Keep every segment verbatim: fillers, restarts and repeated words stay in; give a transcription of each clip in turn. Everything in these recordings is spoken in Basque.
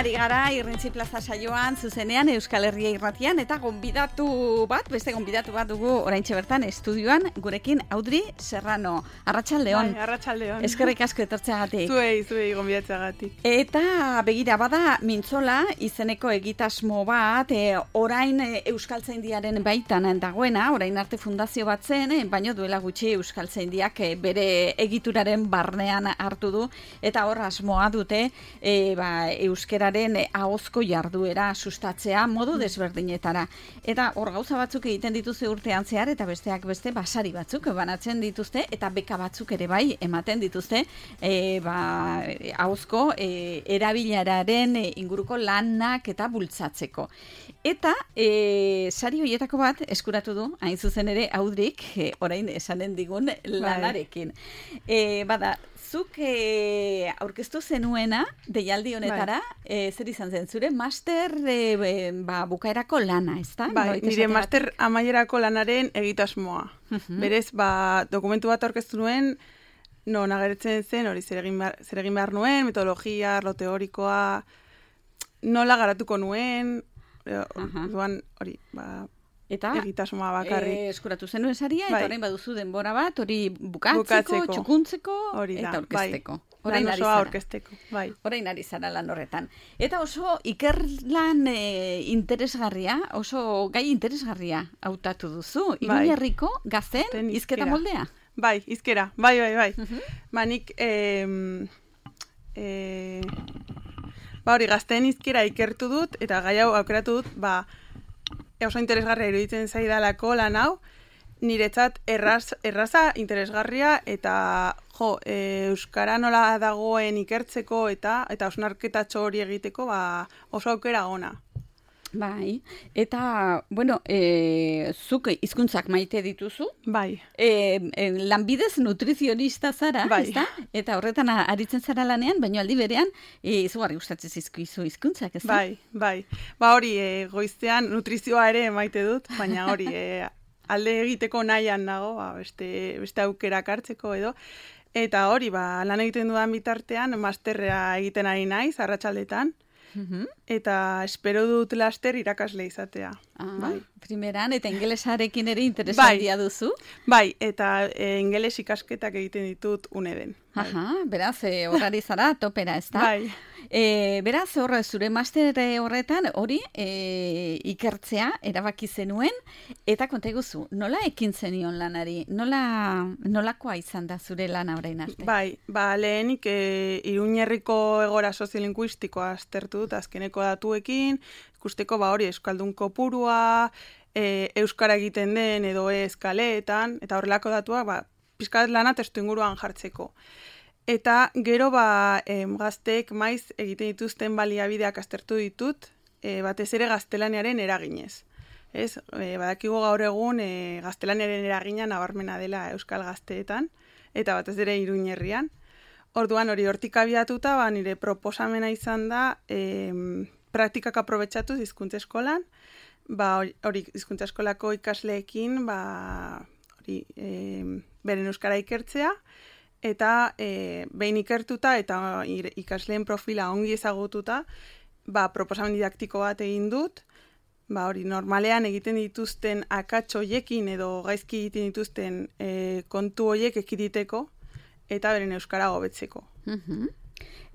ari gara Irrintzi Plaza saioan, zuzenean Euskal Herria Irratian, eta gonbidatu bat, beste gonbidatu bat dugu oraintxe bertan estudioan, gurekin Audrey Serrano. Arratsaldeon. Bai, arratsaldeon. Eskerrik asko etortzeagatik. Zuei, zuei gonbidatzeagatik. Eta begira bada Mintzola izeneko egitasmo bat, e, orain e, Euskaltzaindiaren baitan dagoena, orain arte fundazio bat zen, e, baino duela gutxi Euskaltzaindiak e, bere egituraren barnean hartu du, eta hor asmoa dute e, ba, euskeraren ahozko jarduera sustatzea modu desberdinetara. Eta hor gauza batzuk egiten dituzte urtean zehar, eta besteak beste basari batzuk banatzen dituzte, eta beka batzuk ere bai ematen dituzte e, ba, ahozko e, erabileraren inguruko lanak eta bultzatzeko. Eta e, sari horietako bat eskuratu du, hain zuzen ere Audrik, e, orain esanen digun lanarekin. E, bada, zuk e, aurkeztu zenuena deialdi honetara, e, zer izan zen, zure master e, ba, bukaerako lana, ezta? Bai, nire master amaierako lanaren egitasmoa. Uh-huh. Berez, ba, dokumentu bat aurkeztu nuen, non agertzen zen, hori zer egin behar, zer egin behar nuen, metodologia, arlo teorikoa, nola garatuko nuen, uh-huh. duan, hori, ba... Eta egitasmoa bakarrik. E, eskuratu zenuen saria, eta bai. orain baduzu denbora bat, hori bukatzeko, bukatzeko. txukuntzeko, hori da, eta orkesteko. Bai. Orain lan osoa orkesteko, bai. Orain ari zara lan horretan. Eta oso ikerlan e, interesgarria, oso gai interesgarria hautatu duzu. Iruñerriko bai. Gazten hizkera moldea. Bai, hizkera, bai, bai, bai. Uh-huh. Ba, nik, eh, eh, ba, hori gazten hizkera ikertu dut, eta gai hau aukeratu dut, ba, oso interesgarria iruditzen zaidalako lan hau, niretzat erraz, erraza interesgarria eta jo, e, euskara nola dagoen ikertzeko eta eta osnarketatxo hori egiteko ba, oso aukera ona. Bai, eta, bueno, e, zuk hizkuntzak maite dituzu. Bai. E, e, lanbidez nutrizionista zara, bai. ezta? Eta horretan aritzen zara lanean, baina aldi berean, e, izugarri gustatzen zizkizu hizkuntzak, ezta? Bai, bai. Ba hori, e, goiztean nutrizioa ere maite dut, baina hori, e, alde egiteko nahian nago, ba, beste, beste aukerak hartzeko edo. Eta hori, ba, lan egiten dudan bitartean, masterra egiten ari naiz, arratsaldetan. Uhum. Eta espero dut laster irakasle izatea. Ah, bai. Primeran, eta ingelesarekin ere interesantia bai. duzu? Bai, eta e, ingeles ikasketak egiten ditut uneden. Bai. Aha, beraz, e, horrari zara topera, ez da? Bai. E, beraz, horre, zure master horretan, hori, e, ikertzea, erabaki zenuen, eta konta eguzu, nola ekin zenion lanari? Nola, nolakoa izan da zure lana orain arte? Bai, ba, lehenik e, Iruñerriko egora soziolinguistikoa aztertu dut, azkeneko datuekin, ikusteko ba hori euskaldun kopurua, e, euskara egiten den edo ez kaleetan, eta horrelako datuak ba, pizkat lana testu inguruan jartzeko. Eta gero ba, em, gazteek maiz egiten dituzten baliabideak aztertu ditut, e, batez ere gaztelaniaren eraginez. Ez, e, badakigu gaur egun e, gaztelaniaren eragina nabarmena dela euskal gazteetan, eta batez ere Iruñerrian. Orduan hori hortik abiatuta, ba, nire proposamena izan da, em, praktikak aprobetxatuz hizkuntza eskolan, ba, hori hizkuntza eskolako ikasleekin, ba, hori, e, beren euskara ikertzea, eta e, behin ikertuta eta ikasleen profila ongi ezagututa, ba, proposamen didaktiko bat egin dut, ba, hori normalean egiten dituzten akats hoiekin edo gaizki egiten dituzten e, kontu hoiek ekiditeko, eta beren euskara hobetzeko. Uh-huh.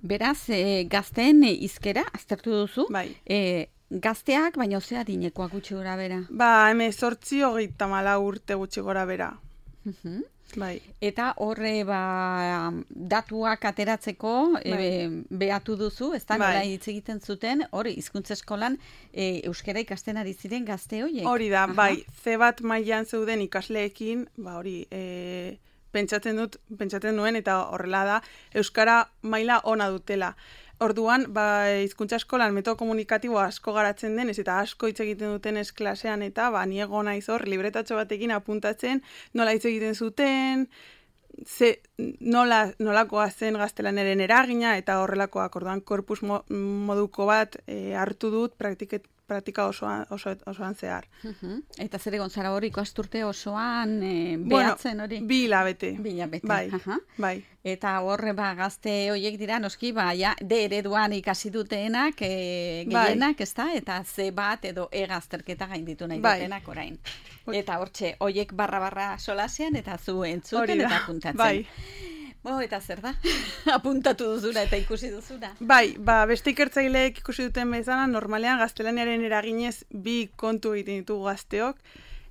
Beraz, e, gazteen e, hizkera aztertu duzu? Bai. E, gazteak, baina ozea dinekoak gutxi gora bera? Ba, hemezortzi hogeita hamalau urte gutxi gora bera. Uh-huh. Bai. Eta horre ba, datuak ateratzeko bai. e, behatu duzu, ez da, nola hitz egiten zuten, hori, hizkuntza eskolan e, euskara ikasten ari ziren gazte horiek. Hori da, aha. Bai, ze bat mailan zeuden ikasleekin, ba hori, e, pentsatzen dut, pentsatzen nuen, eta horrela da, euskara maila ona dutela. Orduan, ba, hizkuntza eskolan metodo komunikatibo asko garatzen denez eta asko hitz egiten duten ez klasean eta ba, niego naiz hor, libretatxo batekin apuntatzen, nola hitz egiten zuten, ze, nola, nolakoa zen gaztelaneren eragina eta horrelakoak. Orduan, korpus mo, moduko bat e, hartu dut praktiket, praktika osoan, oso, osoan zehar. Uh-huh. Eta zer egon zara hori ikasturte osoan e, behatzen hori? Bueno, bi hilabete. Bi hilabete. Bai, uh-huh. bai. Eta horre ba, gazte horiek dira, noski, ba, ja, de ereduan ikasi duteenak, e, gehienak, bai. Ezta? Eta ze bat edo egazterketa gainditu nahi bai. Dutenak orain. Eta hortxe, horiek barra-barra solasean, eta zu entzuten eta apuntatzen. Bai. Bo, eta zer da? Apuntatu duzuna eta ikusi duzuna. Bai, ba, beste ikertzaileek ikusi duten bezala, normalean gaztelaniaren eraginez bi kontu egiten ditugu gazteok,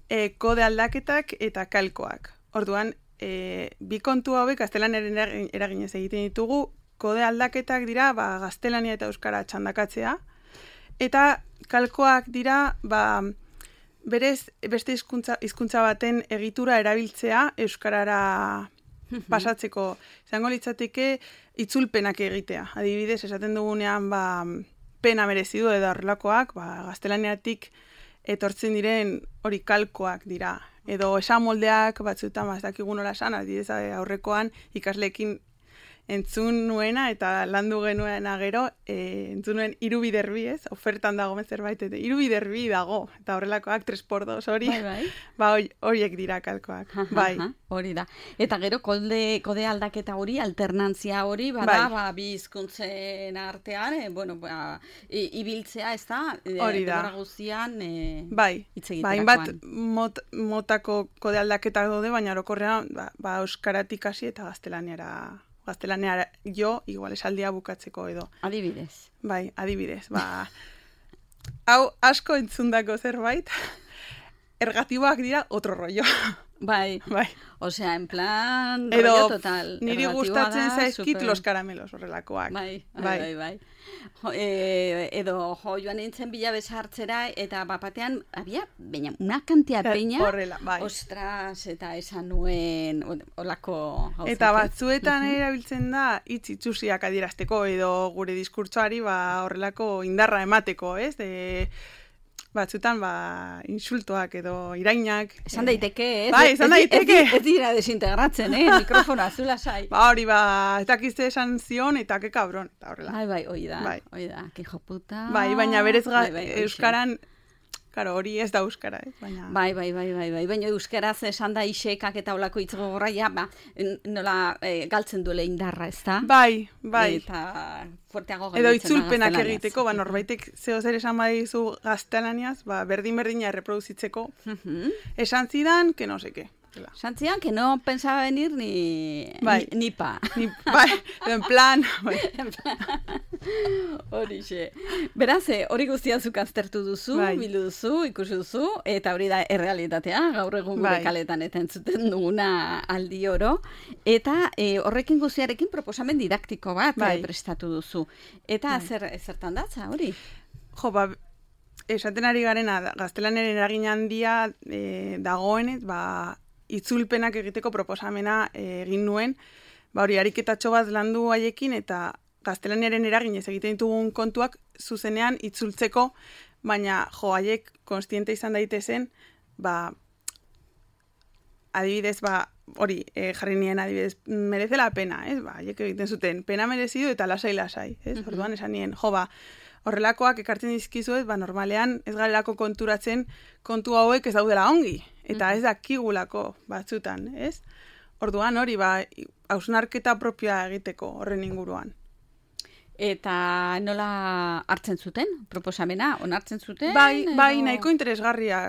e, kode aldaketak eta kalkoak. Orduan, e, bi kontu hauek gaztelaniaren eraginez egiten ditugu, kode aldaketak dira ba, gaztelania eta euskara txandakatzea, eta kalkoak dira ba, berez beste hizkuntza hizkuntza baten egitura erabiltzea euskarara pasatzeko. Izango litzateke itzulpenak egitea. Adibidez, esaten dugunean ba, pena merezi du edo horrelakoak, ba, gaztelaniatik etortzen diren hori kalkoak dira. Edo esamoldeak batzuetan ba, ez dakigun nola esan, adibidez aurrekoan ikasleekin entzun nuena eta landu genuena gero, e, entzun nuen irubiderbi, ez? Ofertan dago zerbait, eta irubiderbi dago, eta horrelakoak tres por dos hori, bai, bai. Ba, horiek dira kalkoak, aha, bai. Aha, hori da. Eta gero kode, kode aldaketa hori, alternantzia hori, bada, bai. Ba, bi hizkuntzen artean, e, bueno, ba, i, ibiltzea, ez da? Hori da. Denbora guztian, e, bai. Hitz Ba, hainbat mot, motako kode aldaketak daude, baina orokorrean, ba, ba, euskaratik hasi eta gaztelaniara gaztelaniara jo, igual esaldia bukatzeko edo. Adibidez. Bai, adibidez. Ba, hau asko entzundako zerbait, ergatiboak dira otro rollo. Bai, bai. Osea, en plan, edo, rollo total. Niri gustatzen zaizkit super... los caramelos horrelakoak. Bai, bai, bai. bai, bai. Jo, e, edo, jo, joan nintzen bila besartzera, eta bapatean, había, baina, una kantia peña, horrela, bai. Ostras, eta esan nuen, olako gauzak. Eta batzuetan uh-huh. erabiltzen da, hitz itxusiak adierazteko, edo gure diskurtsoari, ba, horrelako indarra emateko, ez? De, batzutan, ba, insultoak edo irainak. Esan daiteke, ez? Bai, esan daiteke. Ez, ez, ez dira desintegratzen, eh? Mikrofona, zula sai. Ba, hori, ba, ez dakizte esan zion, eta ke kabron, eta horrela. Bai, bai, hoi da, bai. Hoi da, que hijo puta. Bai, baina berez ga, bai, bai, euskaran, karo, hori ez da euskara, eh? Baina... Bai, bai, bai, bai, bai, baina euskaraz esan da isekak eta olako hitz gogorra, ja, ba, nola e, galtzen duele indarra, ez da? Bai, bai. Eta fuerteago edo itzulpenak egiteko, ba, norbaitek zeo zer esan badizu gaztelaniaz, ba, berdin-berdina erreproduzitzeko, uh-huh. esan zidan, que no seke. Santzian, que no pensaba venir ni, bai. ni, ni pa. Ni, bai, en plan. Bai. Horixe. Beraz, hori guztia zuk aztertu duzu, bai. Bildu duzu, ikusi duzu, eta hori da errealitatea, gaur egun gure bai. Kaletan eta entzuten duguna aldi oro. Eta e, horrekin guztiarekin proposamen didaktiko bat bai. Prestatu duzu. Eta bai. zer, zertan datza, hori? Jo, ba, esaten ari garena, gaztelanaren eragin handia e, dagoenez, ba, itzulpenak egiteko proposamena egin nuen, ba hori ariketatxo bat landu haiekin eta gaztelaniaren eraginez egiten ditugun kontuak zuzenean itzultzeko, baina jo haiek konstiente izan daitezen, ba adibidez, ba hori e, jarri nien adibidez, merece la pena, ez? Ba haiek egiten zuten, pena merezidu eta lasai lasai, ez? Uh-huh. Orduan esan nien, jo ba, horrelakoak ekartzen dizkizuet, ba normalean ez garelako konturatzen kontu hauek ez daudela ongi. Eta ez dakigulako batzutan, ez? Orduan hori, ba, hausnarketa propioa egiteko horren inguruan. Eta nola hartzen zuten, proposamena, onartzen zuten? Bai, edo... bai, nahiko interesgarria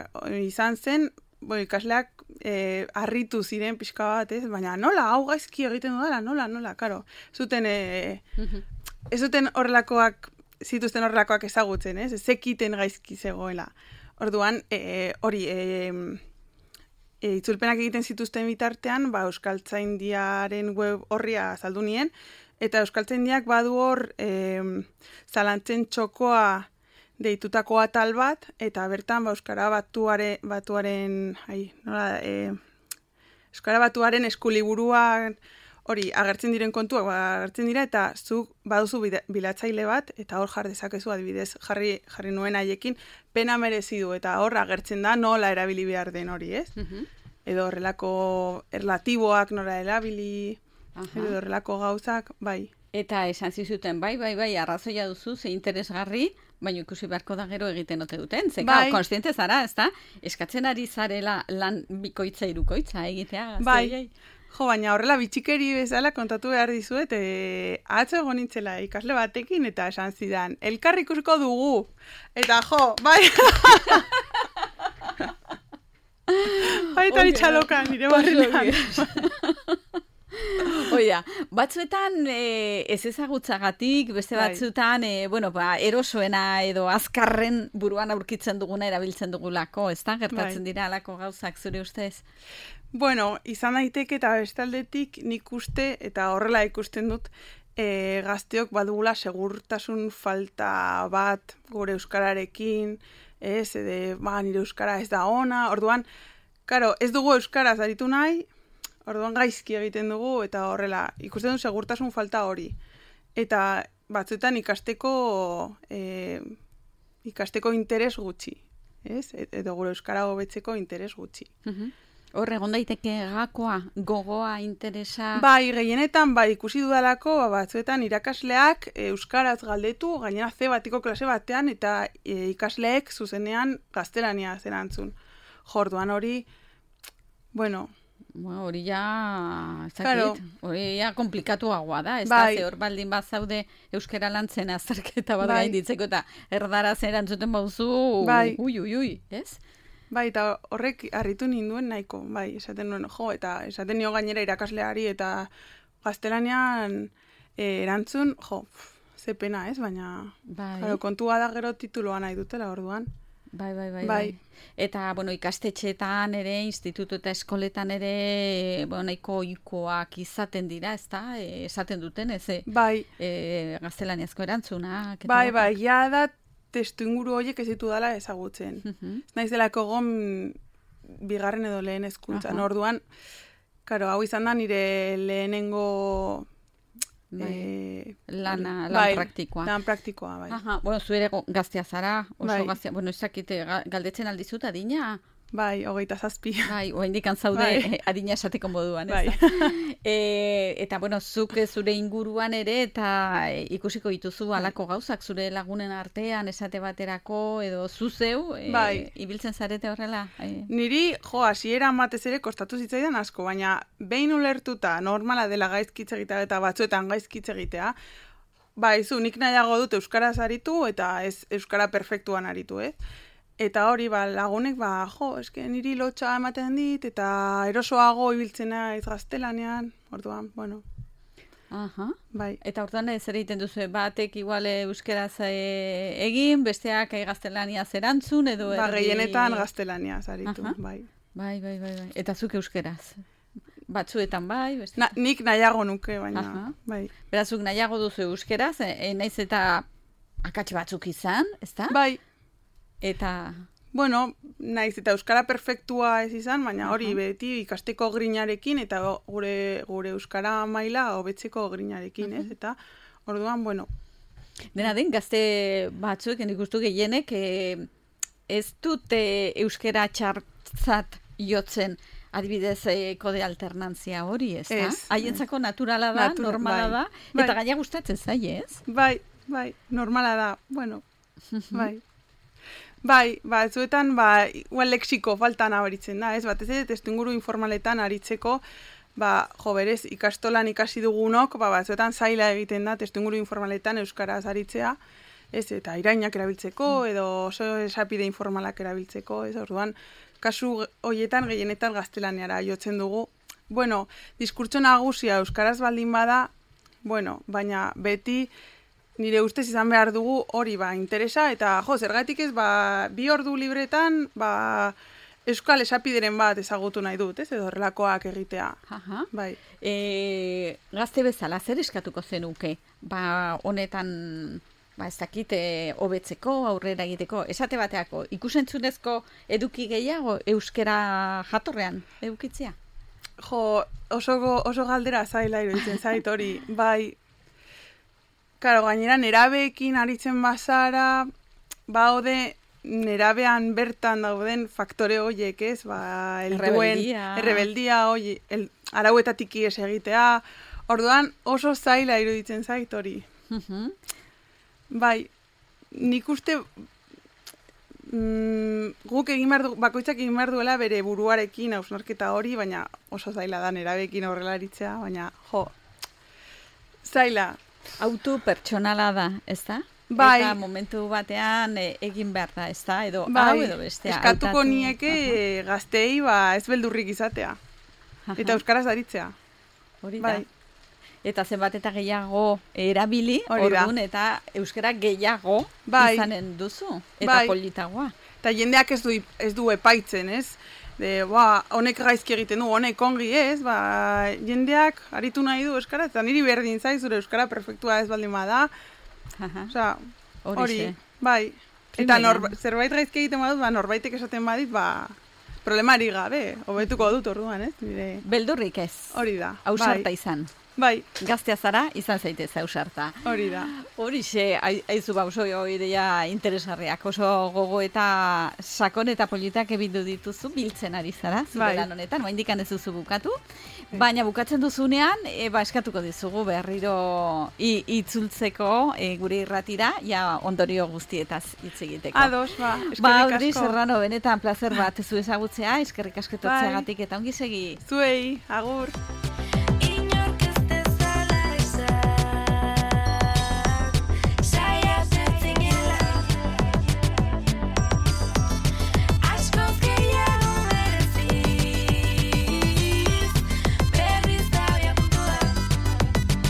izan zen, bo, ikasleak eh, harritu ziren pixka bat, ez? Baina nola, hau gaizki egiten dudala, nola, nola, karo. Zuten, eh, uh-huh. ez zuten horrelakoak, zituzten horrelakoak ezagutzen, ez? Zekiten gaizki zegoela. Orduan, eh, hori... Eh, E, itzulpenak egiten zituzten bitartean, ba, Euskaltzaindiaren web horria azaldu nien, eta Euskaltzaindiak badu hor e, zalantzen txokoa deitutako atal bat, eta bertan ba, Euskara batuare, batuaren, ai, nola, e, Euskara batuaren eskuliburuan hori agertzen diren kontuak ba, agertzen dira, eta zuk baduzu bilatzaile bat, eta hor jar dezakezu adibidez jarri, jarri nuen haiekin, pena merezidu, eta hor agertzen da nola erabili behar den hori, ez? Uh-huh. Edo horrelako erlatiboak nola erabili, uh-huh. edo horrelako gauzak, bai. Eta esan zizuten, bai, bai, bai, arrazoia duzu, ze interesgarri, Baina ikusi beharko da gero egiten ote duten, ze Bai. konstiente zara, ez da? Eskatzen ari zarela lan bikoitza irukoitza egitea gazte Bai. horiei. Jo, baina horrela bitxikeri bezala kontatu behar dizuet, e, atzo egon nintzela ikasle batekin eta esan zidan, elkar ikusiko dugu. Eta jo, bai. Baita Ongi, itxaloka nire oso barrenean. Oia, batzuetan e, ez ezagutzagatik, beste Bai. batzuetan, e, bueno, ba, erosoena edo azkarren buruan aurkitzen duguna erabiltzen dugulako, ez da? Gertatzen Bai. dira alako gauzak zure ustez? Bueno, izan daiteke eta bestaldetik nik uste, eta horrela ikusten dut, e, gazteok badugula segurtasun falta bat gure euskararekin, ez, edo, ba, nire euskara ez da ona, orduan, karo, ez dugu euskaraz aritu nahi, orduan gaizki egiten dugu, eta horrela, ikusten dut segurtasun falta hori. Eta batzuetan ikasteko, e, ikasteko interes gutxi, ez, edo gure euskara hobetzeko interes gutxi. Mhm. Hor, egon daiteke gakoa, gogoa, interesa... Bai, gehienetan, bai, ikusi dudalako, ba, batzuetan irakasleak e, euskaraz galdetu, gainera ze batiko klase batean, eta e, ikasleek zuzenean gaztelania erantzun. Jorduan hori, bueno... Bueno, hori ja, ez Claro. dakit, hori ja komplikatuagoa da, ez Bai. da, ze hor baldin bazaude euskara lantzen azterketa bat Bai. gainditzeko eta erdaraz erantzuten bauzu, Bai. ui, ui, ui, ez? Bai, eta horrek harritu ninduen nahiko, bai, esaten nuen, jo, eta esaten nio gainera irakasleari, eta gaztelanian e, erantzun, jo, pf, ze pena, ez, baina, Bai. claro, kontua da gero tituloa nahi dutela, orduan. Bai, bai, bai, Bai. bai. Eta, bueno, ikastetxeetan ere, institutu eta eskoletan ere, bueno, nahiko ohikoak izaten dira, ez da? E, esaten duten, ez? E, Bai, e, gaztelaniazko erantzunak. eta bai, bar. bai, ja da testu inguru horiek ez ditu dela ezagutzen. Mhm. Ez naiz delako gon bigarren edo lehen hezkuntzan. Aha. Orduan, karo, hau izan da nire lehenengo Bai. eh, Lana, hori. lan Bai, praktikoa. Lan praktikoa, bai. Aha, bueno, zu ere go- gaztea zara, oso Bai. gaztea, bueno, ez dakite, ga- galdetzen aldizut adina, Bai, hogeita zazpi. bai, oraindik zaude Bai. eh, adina esateko moduan, ez Bai. da? E, eta, bueno, zuk zure inguruan ere, eta e, ikusiko dituzu halako gauzak, zure lagunen artean, esate baterako, edo zu zeu, e, Bai. ibiltzen zarete horrela? E, Niri, jo, hasieran batez ere kostatu zitzaidan asko, baina behin ulertuta normala dela gaizkitze egitea eta batzuetan gaizkitze egitea, bai, zu, nik nahiago dut euskaraz aritu eta ez euskara perfektuan aritu, ez? Eta hori, ba, lagunek, ba, jo, eske niri lotxa ematen dit, eta erosoago ibiltzen naiz gaztelanean, orduan, bueno, aha. bai. Eta orduan zer egiten duzu, batek igual eh, euskeraz e, egin, besteak e, gaztelaniaz erantzun, edo Ba, erdi- gehienetan gaztelaniaz aritu, Aha. bai. Bai, bai, bai, bai. Eta zuk euskeraz? Batzuetan bai, beste. Na, nik nahiago nuke, baina, Aha. bai. Berazuk nahiago duzu euskeraz, e, e, naiz eta akats batzuk izan, ezta? Bai, Eta, bueno, naiz eta euskara perfektua ez izan, baina hori Aha. beti ikasteko grinarekin eta gure gure euskara maila hobetzeko grinarekin, ez? Eta orduan, bueno, dena den, gazte batzuek, nik ustu gehienek, e, ez dute euskera txartzat jotzen, adibidez, e, kode alternantzia hori, ez da? Ez. Haientzako naturala da, Natura- normala bai. da, Bai. eta gaina gustatzen zaie, ez? bai, bai, normala da, bueno, bai. Bai, ba, zuetan, ba, igual lexiko faltan abaritzen da, ez? Batez ere, testuinguru informaletan aritzeko, ba, jo, berez, ikastolan ikasi dugunok, ba, batzuetan zaila egiten da, testuinguru informaletan euskaraz aritzea, ez? Eta irainak erabiltzeko, edo oso esapide informalak erabiltzeko, ez? Orduan, kasu hoietan gehienetan gaztelaniara jotzen dugu. Bueno, diskurtso nagusia euskaraz baldin bada, bueno, baina beti nire ustez izan behar dugu hori ba interesa, eta jo, zergatik ez, ba, bi ordu libretan, ba, euskal esapideren bat ezagutu nahi dut, ez, edo horrelakoak egitea. Aha. Bai. E, gazte bezala, zer eskatuko zenuke? Ba, honetan, ba, ez dakit, e, hobetzeko, aurrera egiteko, esate bateako, ikusentzunezko eduki gehiago euskera jatorrean edukitzea? Jo, oso, oso galdera zaila iruditzen zait hori, bai. Karo, gainera nerabeekin aritzen bazara, baude nerabean bertan dauden faktore hoiek, ez? Ba, el Errebeldia. duen, errebeldia, hoi, el, arauetatik ies egitea. Orduan oso zaila iruditzen zait hori. Mhm. Bai, nik uste mm, guk egin behar du, bakoitzak egin behar duela bere buruarekin hausnarketa hori, baina oso zaila da nerabekin aurrela aritzea, baina jo, zaila. Auto pertsonala da, ez da? Bai. Eta momentu batean e, egin behar da, ez da? Edo bai. hau edo bestea. Eskatuko hautatu. nieke uh-huh. gaztei ba, ez beldurrik izatea. Uh-huh. Eta euskaraz aritzea. Hori bai. da. Eta zenbat eta gehiago erabili, orduan eta euskara gehiago bai. izanen duzu. Eta bai. politagoa. Eta jendeak ez du, ez du epaitzen, ez? De, ba, honek gaizki egiten du, honek ongi ez, ba, jendeak aritu nahi du euskara, eta niri berdin zaiz, zure euskara perfektua ez baldin bada. Osea, hori, bai. Eta norba, zerbait gaizki egiten badut, ba, norbaitek esaten badit, ba, problemari gabe, hobetuko dut orduan, ez? Nire... Beldurrik ez. Hori da. Ausarta bai. izan. Bai. Gaztea zara, izan zaitez ausarta. Hori da. Horixe, aizu ba, oso ideia interesgarriak, oso gogo eta sakon eta politak ebitu dituzu, biltzen ari zara, zure bai. lan honetan, oa indikan ez duzu bukatu, baina bukatzen duzunean, e, ba, eskatuko dizugu berriro i, itzultzeko e, gure irratira, ja ondorio guztietaz hitz egiteko. Ados, ba, eskerrik ba, asko. Audrey Serrano, benetan placer bat zu ezagutzea, eskerrik asketotzeagatik eta ongi segi. Zuei, agur.